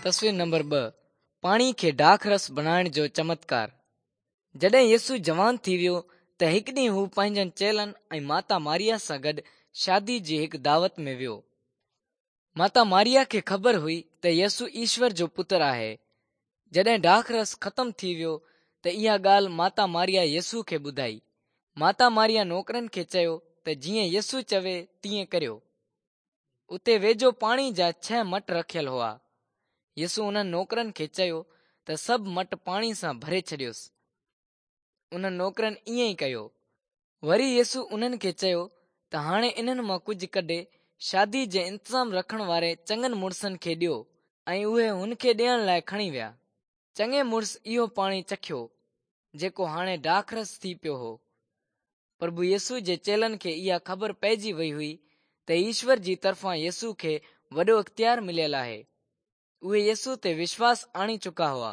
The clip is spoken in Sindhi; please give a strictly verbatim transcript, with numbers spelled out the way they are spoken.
تصوير نمبر ٻه پاڻي کي ڊاک رس بڻائڻ جو چمتڪار. جڏهن يسوع جوان ٿي ويو ته هڪ ڏينهن هو پنهنجن چيلن ۽ ماتا ماريا سان گڏ شادي جي هڪ دعوت ۾ ويو. ماتا ماريا کي خبر هئي ته يسوع ايشور جو پٽ آهي. جڏهن ڊاک رس ختم ٿي ويو ته اها ڳالهه ماتا ماريا يسوع کي ٻڌائي. ماتا ماريا نوڪرن کي چيو ته جيئن يسوع چوي تيئن ڪريو. اتي ويجهو پاڻي جا ڇهه مٽ رکيل هئا. يسوع انهن نوڪرن کي چيو ته سڀ مٽ پاڻي سان ڀري ڇڏيوس. انهن نوڪرن ائين ئي ڪيو. وري يسوع انهن کي چيو ته هاڻي انهن مان ڪجهه ڪڍي شادي جي انتظام رکڻ واري چڱن مڙسن کي ڏيو ۽ اهي هن کي ڏيڻ لاءِ کڻي ويا. چڱي مڙس اهو پاڻي چکيو جيڪو هاڻي ڊاکرس ٿي پيو هو. پرڀو يسوع جي چيلن کي اها خبر پئجي وئي هئي ته ايشور جي طرفان يسوع کي وڏو اختيار مليل آهي. اهي يسوع تي وشواس آڻي چڪا هئا.